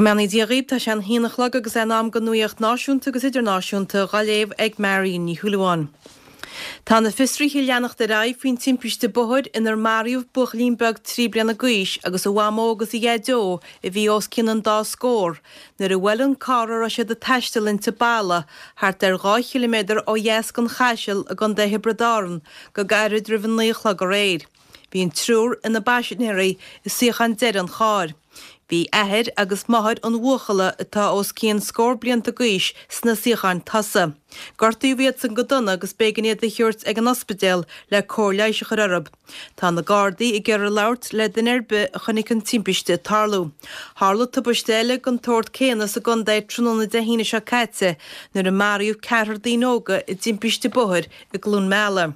Go mbeannaí Dia dhaoib, tá sé an haon a chlog agus é in am don nuaíocht náisiúnta agus idirnáisiúnta dhá léamh ag Marion Ní Shúilleabháin. Tá na fiosruithe ag leanacht ar aghaidh faoin timpiste bóthair inar maraíodh buachaillín beag 3 bliana d'aois agus a mhamó agus a dhaideo a bhí os cionn an dá scór nuair a bhuail an carr a raibh siad ag taisteal inti balla thart ar 2 chiliméadar ó dheas den Chaiseal i gContae Thiobraid Árann go gairid roimh a 9 a chlog aréir. Bhí an triúr ina bpaisinéirí i suíocháin deiridh an chairr. Bhí athair agus máthair an bhuachalla atá os cionn scór blianta d'aois sna suíocháin tosaigh. Gortaíodh iadsan go dona agus b'éigean iad a thabhairt ag an ospidéal le cóir leighis a chur orthu. Tá na Gardaí ag iarraidh labhairt le duine ar bith a chonaic an timpiste ag tarlú. Tharla tubaiste eile den tsórt céanna sa gcontae tráthnóna Dé hAoine seo caite nuair a maraíodh ceathrar daoine óga i dtimpiste bóthair i gCluain Meala.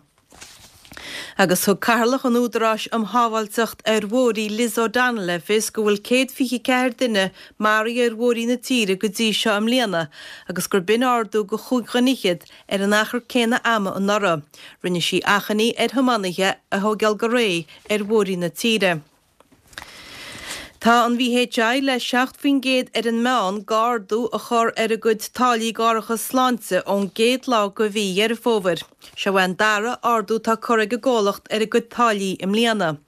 Agus thug Cathaoirleach an Údaráis um Shábháilteacht ar Bhóithre Liz O'Donnell le fios go bhfuil 124 duine maraithe ar bhóithrí na tíre go dtí seo i mbliana agus gur b'in ardú de chúig dhuine fhichead ar an achar céanna ama anuraidh. Rinne sí achainí ar thiománaithe a thógáil go réidh ar bhóithrí na tíre. Tá an VHI le 7% ar an meán d'ardú a chur ar a gcuid táillí d'árachas sláinte ón gcéad lá de mhí Dheireadh Fómhair. Seo é an dara ardú atá curtha ag an gcomhlacht ar a gcuid táillí i mbliana.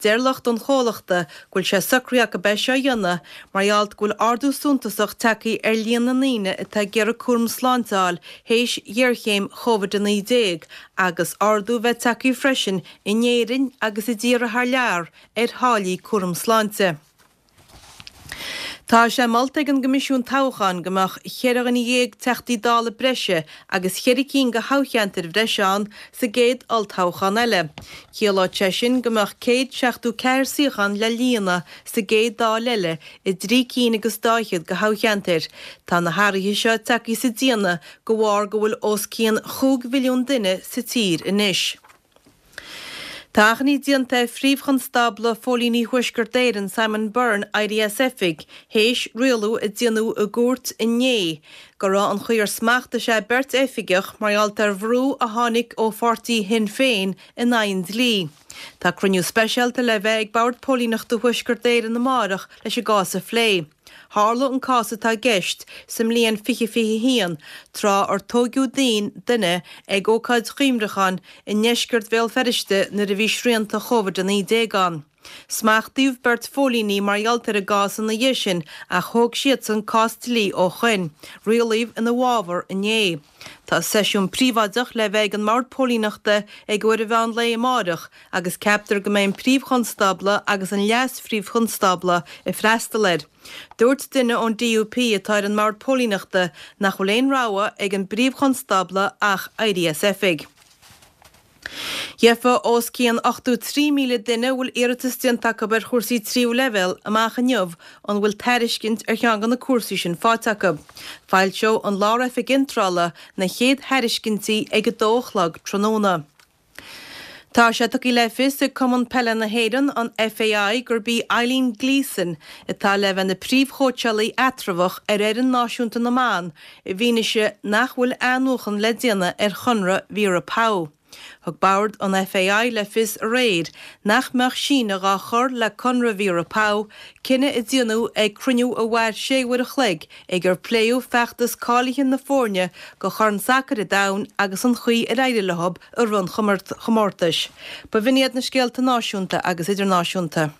Deir lucht an chomhlachta go bhfuil sé socraithe acu é seo a dhéanamh mar gheall go bhfuil ardú suntasach tagtha ar líon na ndaoine atá ag iarraidh cúram sláinte a fháil théis ghéarchéim Covid-19 agus ardú a bheith tagtha freisin in Éirinn agus i dtíortha thar lear ar tháillí cúram sláinte. Tá sé molta ag an gCoimisiún Toghcháin go mbeadh cheithre dhuine dhéag Teachtaí Dála breise agus cheithre cinn de thoghcheantair bhreise ann sa gcéad olltoghchán eile. Chiallódh sé sin go mbeadh 174 suíochán le líonadh sa gcéad Dáil eile i dtrí cinn agus dá fhichead de thoghcheantair. Tá na hathruithe seo tagtha sa déanamh de bharr go bhfuil os cionn chúig mhilliún duine sa tír anois. Tá achainí déanta ar Phríomh-Chonstábla Phóilíní Thuaisceart Éireann, Simon Byrne, éirí as oifig, théis rialú a déanadh i gcúirt inné go raibh an chaoi ar smachtaigh sé beirt oifigeach mar gheall ar bhrú a tháinig ó pháirtí Shinn Féin in aghaidh an dlí. Tá cruinniú speisialta le bheith ag Bord Póilíneachta Thuaisceart Éireann amárach leis an gcás a phlé. Tharla an cás atá i gceist sa mbliain 2021, tráth ar tóigeadh duine ag ócáid chuimhneacháin i ndeisceart Bhéal Feirste nuair a bhí srianta Covid-19 ann. Smachtaíodh beirt phóilíní mar gheall ar an gcás ina dhiaidh sin ach thóg siadsan cás dlí ó shoin. Rialaíodh ina bhfabhar inné. Tá seisiún príobháideach le bheith ag an mBord Póilíneachta ag uair an mheán lae amáireach agus ceaptar go mbeidh an Príomh-Chonstábla agus an Leas-Phríomh-Chonstábla ag freastal air. Dúirt duine ón DUP atá ar an mBord Póilíneachta nach bhfuil aon rogha ag an bPríomh-Chonstábla ach éirí as oifig. Gheofa os cionn 83,000 duine a bhfuil iarratas déanta acu ar chúrsaí tríú leibhéal amach inniu an bhfuil tairiscint ar cheann de na cúrsaí sin faighte acu. Foilseoidh an Lár-Oifig Iontrála na chéad thairiscintí ag a dó a chlog tráthnóna. Tá sé tugtha le fios ag Cumann Peile na hÉireann, an FAI, gurb í Eileen Gleeson atá le bheith ina príomhchóitseálaí eatramhach ar fhoireann náisiúnta na mban i bhfianaise nach bhfuil athnuachan le déanamh ar chonradh Vera Pauw. Thug Bord an FAI le fios aréir nach mbeadh síneadh á chur le conradh Vera Pauw, cinneadh a déanadh ag cruinniú a mhair sé uair a chloig ag ar pléadh feachtas cáilithe na foirne do Chorn Sacair an Domhain agus an chaoi ar éirigh leo i rith an chomórtais. B'in iad na scéalta náisiúnta agus idirnáisiúnta.